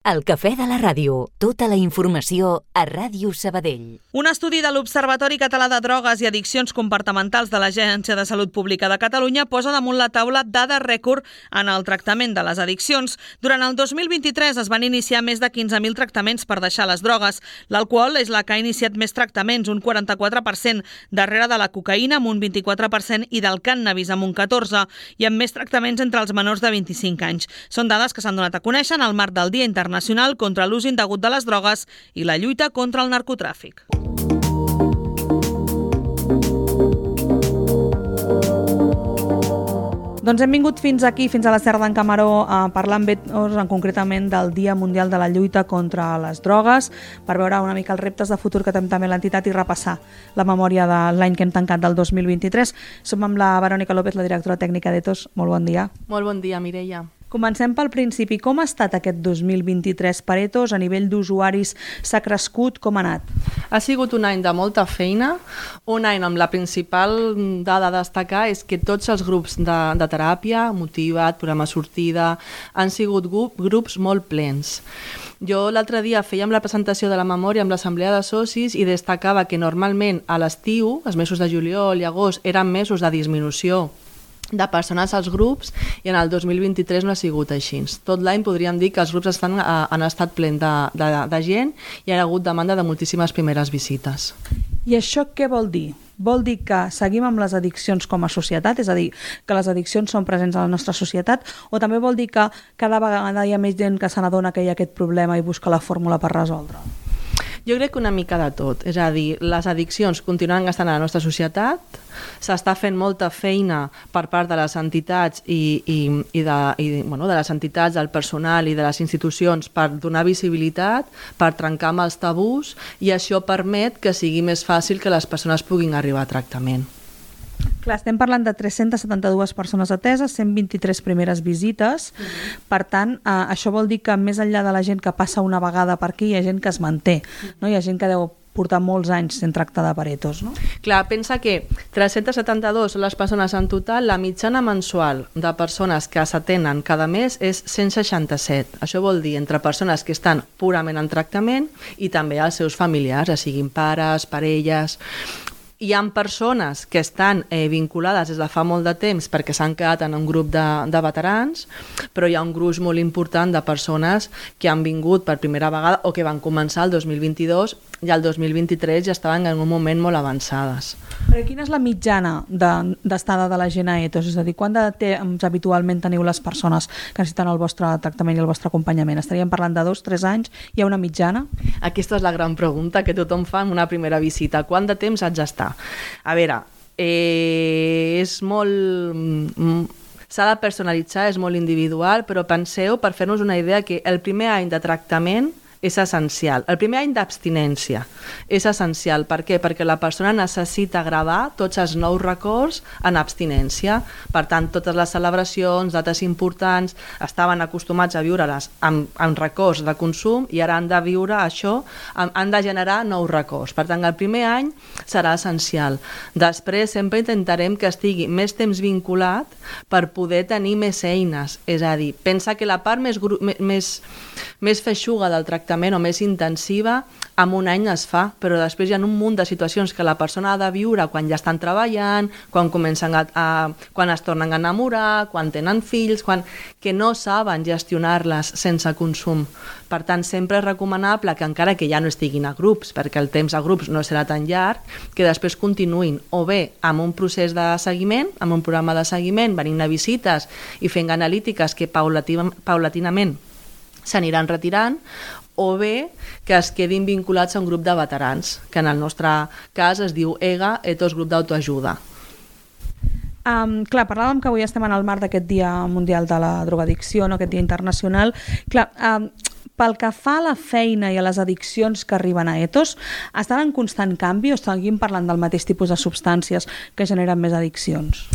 El cafè de la ràdio. Tota la informació a Ràdio Sabadell. Un estudi de l'Observatori Català de Drogues i Addiccions Comportamentals de l'Agència de Salut Pública de Catalunya posa damunt la taula dades rècord en el tractament de les addiccions. Durant el 2023 es van iniciar més de 15.000 tractaments per deixar les drogues. L'alcohol és la que ha iniciat més tractaments, un 44%, darrere de la cocaïna amb un 24% i del cànnabis amb un 14%, i amb més tractaments entre els menors de 25 anys. Són dades que s'han donat a conèixer en el marc del Dia Internacional contra l'ús indegut de les drogues i la lluita contra el narcotràfic. Doncs hem vingut fins aquí, fins a la Serra d'en Camaró, a parlar amb ells concretament del Dia Mundial de la Lluita contra les Drogues, per veure una mica els reptes de futur que té també l'entitat i repassar la memòria de l'any que hem tancat del 2023. Som amb la Verònica López, la directora tècnica d'Ethos. Molt bon dia. Molt bon dia, Mireia. Comencem pel principi. Com ha estat aquest 2023 per Ethos? A nivell d'usuaris s'ha crescut? Com ha anat? Ha sigut un any de molta feina, un any amb la principal dada a destacar és que tots els grups de teràpia, Motiva't, Programa Sortida, han sigut grups molt plens. Jo l'altre dia fèiem la presentació de la memòria amb l'assemblea de socis i destacava que normalment a l'estiu, els mesos de juliol i agost, eren mesos de disminució de persones als grups, i en el 2023 no ha sigut així. Tot l'any podríem dir que els grups han estat plens de gent i hi ha hagut demanda de moltíssimes primeres visites. I això què vol dir? Vol dir que seguim amb les addiccions com a societat, és a dir, que les addiccions són presents a la nostra societat, o també vol dir que cada vegada hi ha més gent que se n'adona que hi ha aquest problema i busca la fórmula per resoldre? Jo crec que una mica de tot, és a dir, les addiccions continuen estant a la nostra societat, s'està fent molta feina per part de les entitats de les entitats, del personal i de les institucions per donar visibilitat, per trencar amb els tabús, i això permet que sigui més fàcil que les persones puguin arribar a tractament. Clar, estem parlant de 372 persones ateses, 123 primeres visites. Per tant, això vol dir que més enllà de la gent que passa una vegada per aquí, hi ha gent que es manté, no? Hi ha gent que deu portar molts anys sent tractada per Ethos, no? Clar, pensa que 372 són les persones en total, la mitjana mensual de persones que s'atenen cada mes és 167. Això vol dir entre persones que estan purament en tractament i també els seus familiars, siguin pares, parelles. Hi ha persones que estan vinculades des de fa molt de temps perquè s'han quedat en un grup de veterans, però hi ha un gruix molt important de persones que han vingut per primera vegada o que van començar el 2022 i el 2023 ja estaven en un moment molt avançades. Però quina és la mitjana d'estada de la gent a Ethos? És a dir, quant de temps habitualment teniu les persones que necessiten el vostre tractament i el vostre acompanyament? Estaríem parlant de 2-3 anys? Hi ha una mitjana? Aquesta és la gran pregunta que tothom fa en una primera visita. Quant de temps haig d'estar? A veure, és molt... S'ha de personalitzar, és molt individual, però penseu, per fer-nos una idea, que el primer any de tractament és essencial. El primer any d'abstinència és essencial. Per què? Perquè la persona necessita gravar tots els nous records en abstinència. Per tant, totes les celebracions, dates importants, estaven acostumats a viure-les amb records de consum i ara han de viure això, han de generar nous records. Per tant, el primer any serà essencial. Després sempre intentarem que estigui més temps vinculat per poder tenir més eines. És a dir, pensa que la part més feixuga del tractament o més intensiva en un any es fa, però després hi ha un munt de situacions que la persona ha de viure quan ja estan treballant, quan quan es tornen a enamorar, quan tenen fills, que no saben gestionar-les sense consum. Per tant, sempre és recomanable que encara que ja no estiguin a grups, perquè el temps a grups no serà tan llarg, que després continuïn o bé amb un procés de seguiment, amb un programa de seguiment, venint a visites i fent analítiques que paulatinament s'aniran retirant, o bé que es quedin vinculats a un grup de veterans, que en el nostre cas es diu EGA, Ethos Grup d'Autoajuda. Clar, parlàvem que avui estem en el marc d'aquest Dia Mundial de la Drogadicció, no? Aquest Dia Internacional. Clar, pel que fa a la feina i a les addiccions que arriben a Ethos, estan en constant canvi o seguim parlant del mateix tipus de substàncies que generen més addiccions?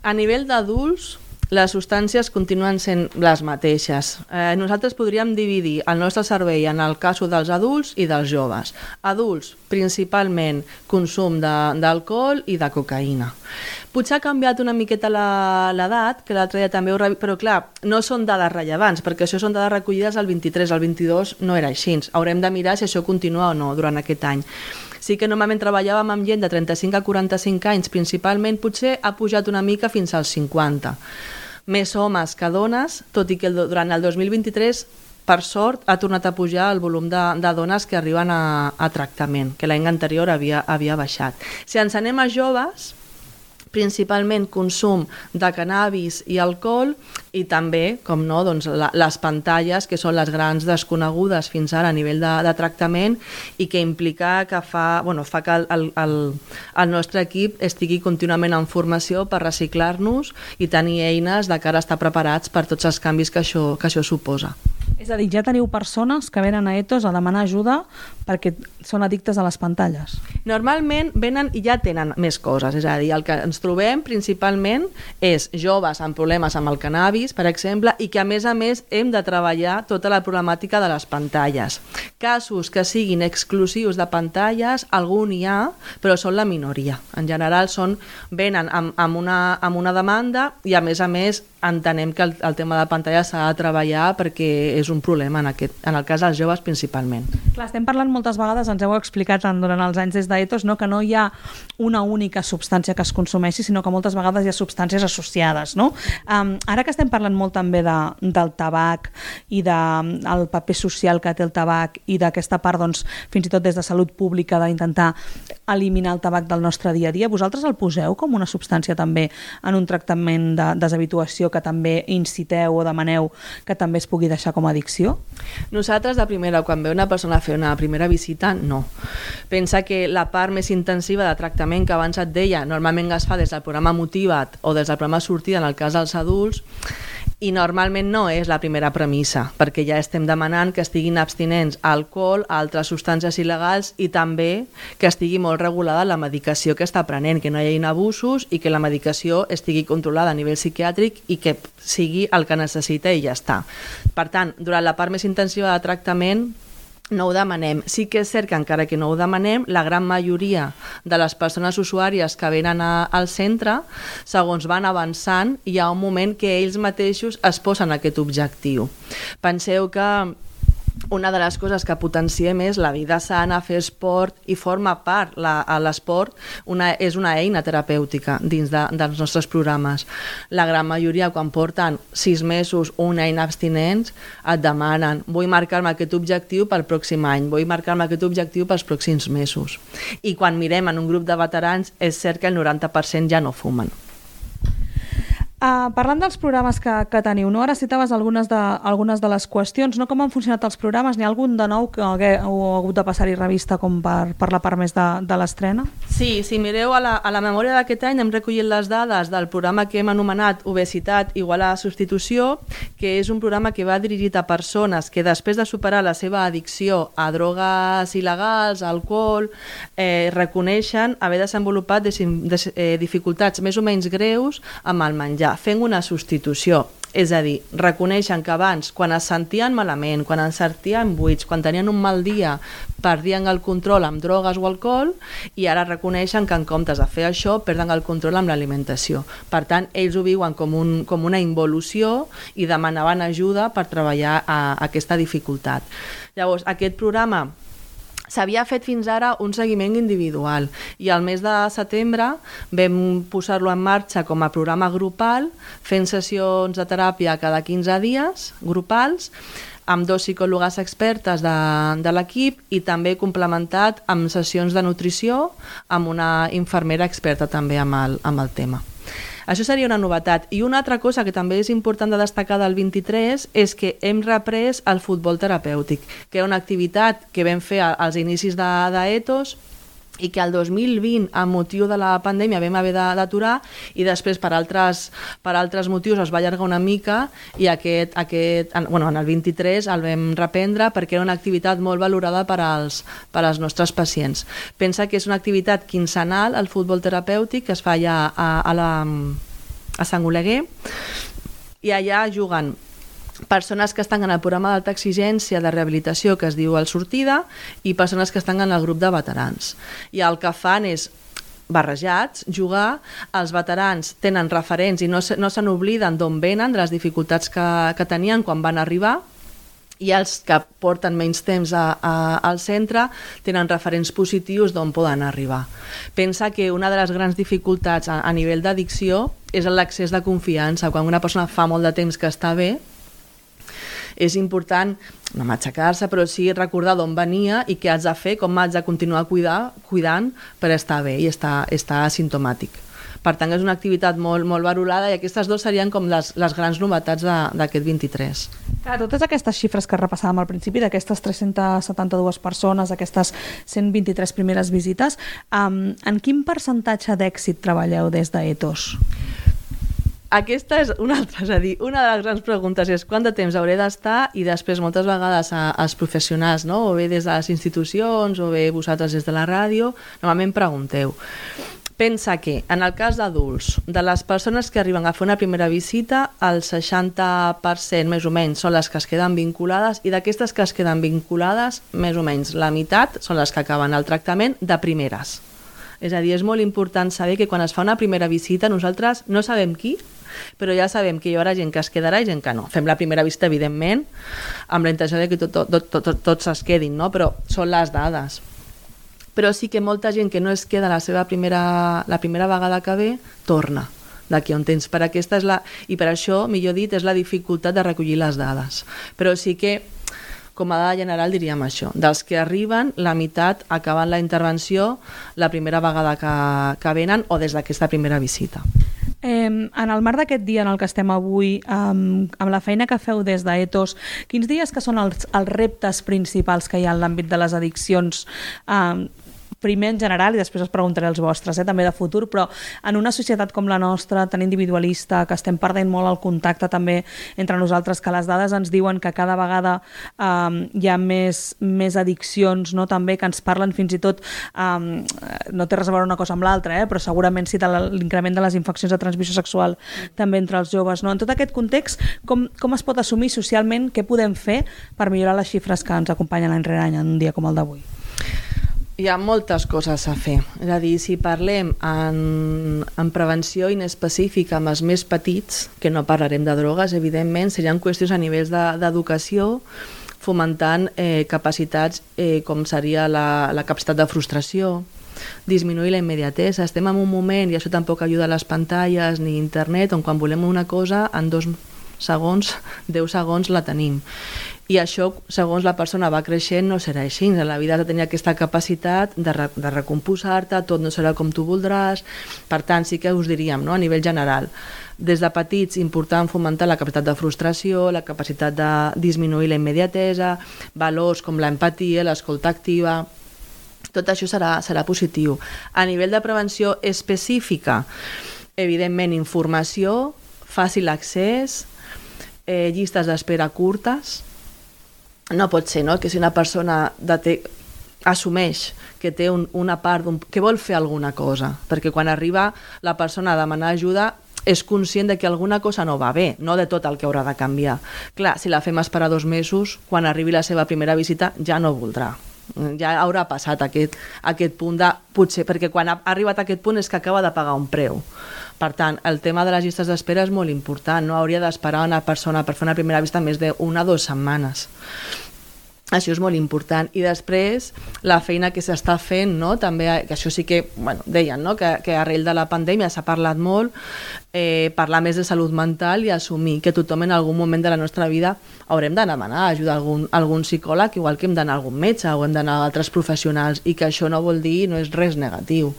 A nivell d'adults, les substàncies continuen sent les mateixes. Nosaltres podríem dividir el nostre servei en el cas dels adults i dels joves. Adults, principalment consum d'alcohol i de cocaïna. Potser ha canviat una miqueta l'edat, que l'altre dia també però clar, no són dades rellevants, perquè això són dades recollides al 23, al 22 no era així. Haurem de mirar si això continua o no durant aquest any. Sí que normalment treballàvem amb gent de 35 a 45 anys, principalment potser ha pujat una mica fins als 50. Més homes que dones, tot i que durant el 2023 per sort ha tornat a pujar el volum de dones que arriben a tractament, que l'any anterior havia baixat. Si ens anem a joves, principalment consum de cannabis i alcohol i també, com no, doncs, les pantalles, que són les grans desconegudes fins ara a nivell de tractament i que implica que fa que el nostre equip estigui contínuament en formació per reciclar-nos i tenir eines de cara a estar preparats per tots els canvis que això suposa. És a dir, ja teniu persones que venen a Ethos a demanar ajuda perquè són addictes a les pantalles? Normalment venen i ja tenen més coses, és a dir, el que ens trobem principalment és joves amb problemes amb el cannabis, per exemple, i que a més hem de treballar tota la problemàtica de les pantalles. Casos que siguin exclusius de pantalles, algun hi ha, però són la minoria. En general venen amb una demanda i a més entenem que el tema de pantalles s'ha de treballar perquè és un problema en el cas dels joves principalment. Clar, estem parlant moltes vegades, ens heu explicat durant els anys des d'Ethos, no? Que no hi ha una única substància que es consumeixi, sinó que moltes vegades hi ha substàncies associades. No? Ara que estem parlant molt també del tabac i del paper social que té el tabac i d'aquesta part, doncs, fins i tot des de salut pública, d'intentar eliminar el tabac del nostre dia a dia, vosaltres el poseu com una substància també en un tractament de deshabituació que també inciteu o demaneu que també es pugui deixar com a addicció? Nosaltres, de primera, quan ve una persona a fer una primera visita, no. Pensa que la part més intensiva de tractament que abans et deia, normalment es fa des del programa Motiva't o des del programa Sortida en el cas dels adults, i normalment no és la primera premissa, perquè ja estem demanant que estiguin abstinents a alcohol, a altres substàncies il·legals i també que estigui molt regulada la medicació que està prenent, que no hi hagi abusos i que la medicació estigui controlada a nivell psiquiàtric i que sigui el que necessita i ja està. Per tant, durant la part més intensiva de tractament no ho demanem. Sí que és cert que encara que no ho demanem, la gran majoria de les persones usuàries que venen al centre, segons van avançant, hi ha un moment que ells mateixos es posen aquest objectiu. Penseu que una de les coses que potenciem és la vida sana, fer esport, i forma part, l'esport és una eina terapèutica dins dels nostres programes. La gran majoria, quan porten 6 mesos o un any abstinents, et demanen: vull marcar-me aquest objectiu pel pròxim any, vull marcar-me aquest objectiu pels pròxims mesos. I quan mirem en un grup de veterans, és cert que el 90% ja no fumen. Parlant dels programes que teniu, no? Ara citaves algunes de les qüestions, no? Com han funcionat els programes? N'hi ha algun de nou que heu hagut de passar-hi revista com per la part més de l'estrena? Sí, si mireu a la memòria d'aquest any hem recollit les dades del programa que hem anomenat Obesitat igual a substitució, que és un programa que va dirigit a persones que després de superar la seva addicció a drogues il·legals, a alcohol, reconeixen haver desenvolupat dificultats més o menys greus amb el menjar, fent una substitució. És a dir, reconeixen que abans, quan es sentien malament, quan es sentien buits, quan tenien un mal dia, perdien el control amb drogues o alcohol, i ara reconeixen que en comptes de fer això, perden el control amb l'alimentació. Per tant, ells ho viuen com una involució i demanaven ajuda per treballar aquesta dificultat. Llavors, aquest programa s'havia fet fins ara un seguiment individual i al mes de setembre vam posar-lo en marxa com a programa grupal, fent sessions de teràpia cada 15 dies, grupals, amb 2 psicòlogues expertes de l'equip i també complementat amb sessions de nutrició amb una infermera experta també amb el tema. Això seria una novetat. I una altra cosa que també és important de destacar del 23 és que hem reprès el futbol terapèutic, que era una activitat que vam fer als inicis d'Ethos i que el 2020, amb motiu de la pandèmia, vam haver d'aturar i després per altres motius es va allargar una mica i en el 23 el vam reprendre perquè era una activitat molt valorada per als nostres pacients. Pensa que és una activitat quinzenal, el futbol terapèutic, que es fa ja a Sant Oleguer, I allà juguen persones que estan en el programa d'alta exigència de rehabilitació que es diu El Sortida i persones que estan en el grup de veterans. I el que fan és barrejats, jugar, els veterans tenen referents i no se n'obliden d'on venen, de les dificultats que tenien quan van arribar, i els que porten menys temps al centre tenen referents positius d'on poden arribar. Pensa que una de les grans dificultats a nivell d'addicció és l'accés de confiança. Quan una persona fa molt de temps que està bé, és important no matxacar-se, però sí recordar d'on venia i què haig de fer, com haig de continuar cuidant per estar bé i estar asimptomàtic. Per tant, és una activitat molt valorada i aquestes dues serien com les grans novetats d'aquest 23. Clar, totes aquestes xifres que repassàvem al principi, d'aquestes 372 persones, aquestes 123 primeres visites, en quin percentatge d'èxit treballeu des d'Ethos? Aquesta és una altra, és a dir, una de les grans preguntes és quant de temps hauré d'estar, i després moltes vegades als professionals, no? O bé des de les institucions o bé vosaltres des de la ràdio, normalment pregunteu. Pensa que, en el cas d'adults, de les persones que arriben a fer una primera visita, el 60% més o menys són les que es queden vinculades, i d'aquestes que es queden vinculades, més o menys la meitat són les que acaben el tractament de primeres. És a dir, és molt important saber que quan es fa una primera visita nosaltres no sabem qui, però ja sabem que hi haurà gent que es quedarà i gent que no. Fem la primera visita, evidentment, amb la intenció de que tots es quedin, no? Però són les dades. Però sí que molta gent que no es queda la primera vegada que ve, torna d'aquí on tens. I per això, millor dit, és la dificultat de recollir les dades. Però sí que, com a dada general, diríem això. Dels que arriben, la meitat acaben la intervenció la primera vegada que venen o des d'aquesta primera visita. En el marc d'aquest dia en el que estem avui, amb la feina que feu des d'Ethos, quins diries que són els reptes principals que hi ha en l'àmbit de les addiccions, primer en general i després us preguntaré els vostres, també de futur, però en una societat com la nostra, tan individualista, que estem perdent molt el contacte també entre nosaltres, que les dades ens diuen que cada vegada hi ha més addiccions, no? També que ens parlen fins i tot, no té res a veure una cosa amb l'altra, però segurament sí de l'increment de les infeccions de transmissió sexual també entre els joves. No? En tot aquest context, com es pot assumir socialment, què podem fer per millorar les xifres que ens acompanyen any rere any en un dia com el d'avui? Hi ha moltes coses a fer. És a dir, si parlem en prevenció inespecífica amb els més petits, que no parlarem de drogues, evidentment, serien qüestions a nivells d'educació, fomentant capacitats com seria la capacitat de frustració, disminuir la immediatesa. Estem en un moment, i això tampoc ajuda a les pantalles ni internet, on quan volem una cosa, en 2 segons, 10 segons la tenim. I això, segons la persona va creixent, no serà així. En la vida has de tenir aquesta capacitat de recomposar-te, tot no serà com tu voldràs. Per tant, sí que us diríem, no? A nivell general, des de petits, important fomentar la capacitat de frustració, la capacitat de disminuir la immediatesa, valors com l'empatia, l'escolta activa. Tot això serà positiu. A nivell de prevenció específica, evidentment, informació, fàcil accés, llistes d'espera curtes. No pot ser, no?, que si una persona assumeix que té una part, que vol fer alguna cosa, perquè quan arriba la persona a demanar ajuda és conscient de que alguna cosa no va bé, no de tot el que haurà de canviar. Clar, si la fem esperar 2 mesos, quan arribi la seva primera visita ja no voldrà. Ja haurà passat aquest punt de potser, perquè quan ha arribat a aquest punt és que acaba de pagar un preu. Per tant, el tema de les llistes d'espera és molt important, no hauria d'esperar una persona per fer una primera vista més d'1 o 2 setmanes. Això és molt important. I després, la feina que s'està fent, no? També, que això sí que, deien, no? Que arrel de la pandèmia s'ha parlat molt, parlar més de salut mental i assumir que tothom en algun moment de la nostra vida haurem de demanar ajuda a algun psicòleg, igual que hem d'anar a algun metge o hem d'anar a altres professionals, i que això no vol dir, no és res negatiu.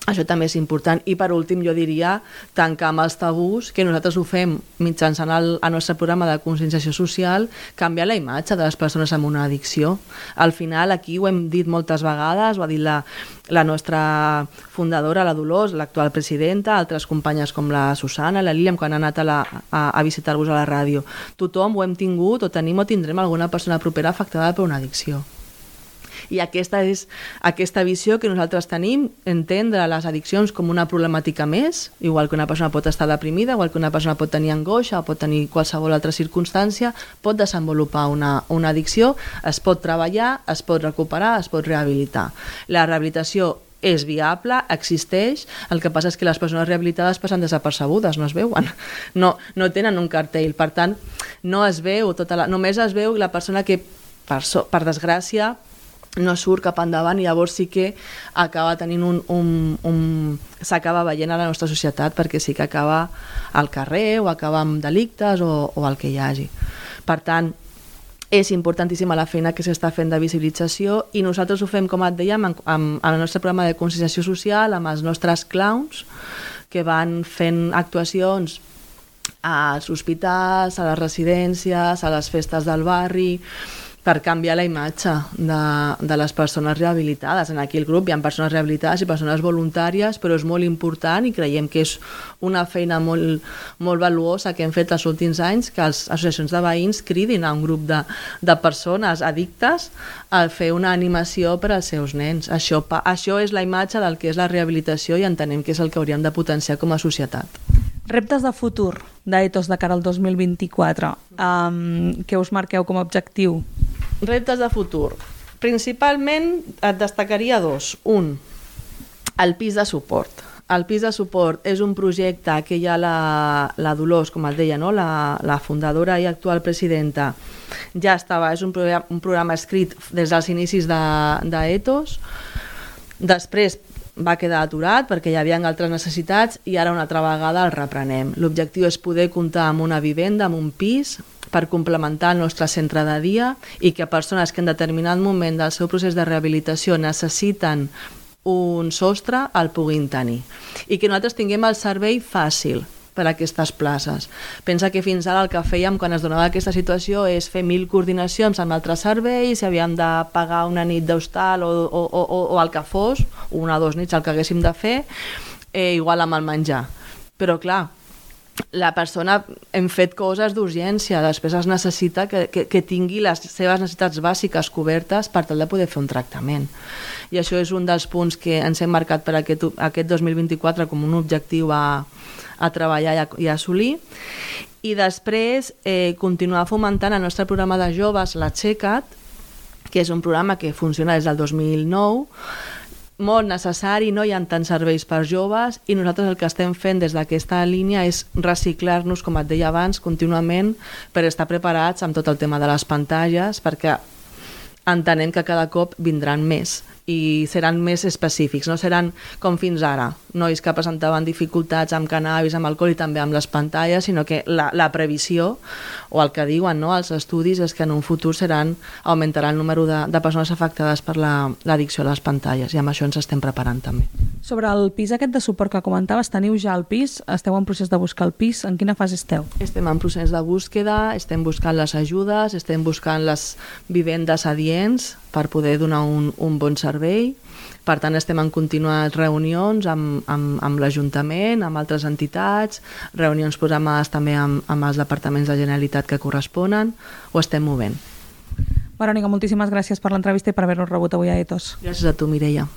Això també és important. I per últim jo diria tancar amb els tabús, que nosaltres ho fem mitjançant el nostre programa de conscienciació social, canviar la imatge de les persones amb una addicció. Al final, aquí ho hem dit moltes vegades, ho ha dit la nostra fundadora, la Dolors, l'actual presidenta, altres companyes com la Susana, la Lília, quan han anat a visitar-vos a la ràdio. Tothom ho hem tingut o tenim o tindrem alguna persona propera afectada per una addicció. I aquesta és aquesta visió que nosaltres tenim, entendre les addiccions com una problemàtica més, igual que una persona pot estar deprimida, igual que una persona pot tenir angoixa o pot tenir qualsevol altra circumstància, pot desenvolupar una addicció, es pot treballar, es pot recuperar, es pot rehabilitar. La rehabilitació és viable, existeix, el que passa és que les persones rehabilitades passen desapercebudes, no es veuen, no tenen un cartell, per tant, no es veu, només es veu la persona que, per desgràcia, no surt cap endavant i llavors sí que acaba tenint s'acaba veient a la nostra societat perquè sí que acaba al carrer o acaba amb delictes o el que hi hagi. Per tant, és importantíssima la feina que s'està fent de visibilització i nosaltres ho fem, com et dèiem, amb el nostre programa de conscienciació social, amb els nostres clowns que van fent actuacions als hospitals, a les residències, a les festes del barri, per canviar la imatge de les persones rehabilitades. En aquí el grup hi ha persones rehabilitades i persones voluntàries, però és molt important i creiem que és una feina molt, molt valuosa que hem fet els últims anys, que les associacions de veïns cridin a un grup de persones addictes a fer una animació per als seus nens. Això és la imatge del que és la rehabilitació i entenem que és el que hauríem de potenciar com a societat. Reptes de futur d'Ethos de cara al 2024, què us marqueu com a objectiu? Reptes de futur. Principalment et destacaria dos. Un, el pis de suport. El pis de suport és un projecte que ja la Dolors, com et deia, no? la fundadora i actual presidenta, ja estava, és un programa escrit des dels inicis d'Ethos. Després va quedar aturat perquè hi havia altres necessitats i ara una altra vegada el reprenem. L'objectiu és poder comptar amb una vivenda, amb un pis, per complementar el nostre centre de dia i que persones que en determinat moment del seu procés de rehabilitació necessiten un sostre el puguin tenir. I que nosaltres tinguem el servei fàcil per a aquestes places. Pensa que fins ara el que fèiem quan es donava aquesta situació és fer 1000 coordinacions amb altres serveis, si havíem de pagar una nit d'hostal o el que fos, una o 2 nits el que haguéssim de fer, igual amb el menjar. Però clar, la persona hem fet coses d'urgència, després es necessita que tingui les seves necessitats bàsiques cobertes per tal de poder fer un tractament. I això és un dels punts que ens hem marcat per aquest 2024 com un objectiu a treballar i a assolir. I després continuar fomentant el nostre programa de joves, l'Aixeca't, que és un programa que funciona des del 2009, molt necessari, no hi ha tants serveis per joves i nosaltres el que estem fent des d'aquesta línia és reciclar-nos, com et deia abans, contínuament per estar preparats amb tot el tema de les pantalles, perquè entenem que cada cop vindran més i seran més específics, no seran com fins ara, nois que presentaven dificultats amb cannabis, amb alcohol i també amb les pantalles, sinó que la previsió o el que diuen els estudis és que en un futur augmentarà el número de persones afectades per l'addicció a les pantalles i amb això ens estem preparant també. Sobre el pis aquest de suport que comentaves, teniu ja el pis? Esteu en procés de buscar el pis? En quina fase esteu? Estem en procés de búsqueda, estem buscant les ajudes, estem buscant les vivendes adients per poder donar un bon servei. Per tant, estem en contínues reunions amb l'Ajuntament, amb altres entitats, reunions programades també amb els departaments de Generalitat que corresponen, ho estem movent. Verònica, moltíssimes gràcies per l'entrevista i per haver-nos rebut avui a Ethos. Gràcies a tu, Mireia.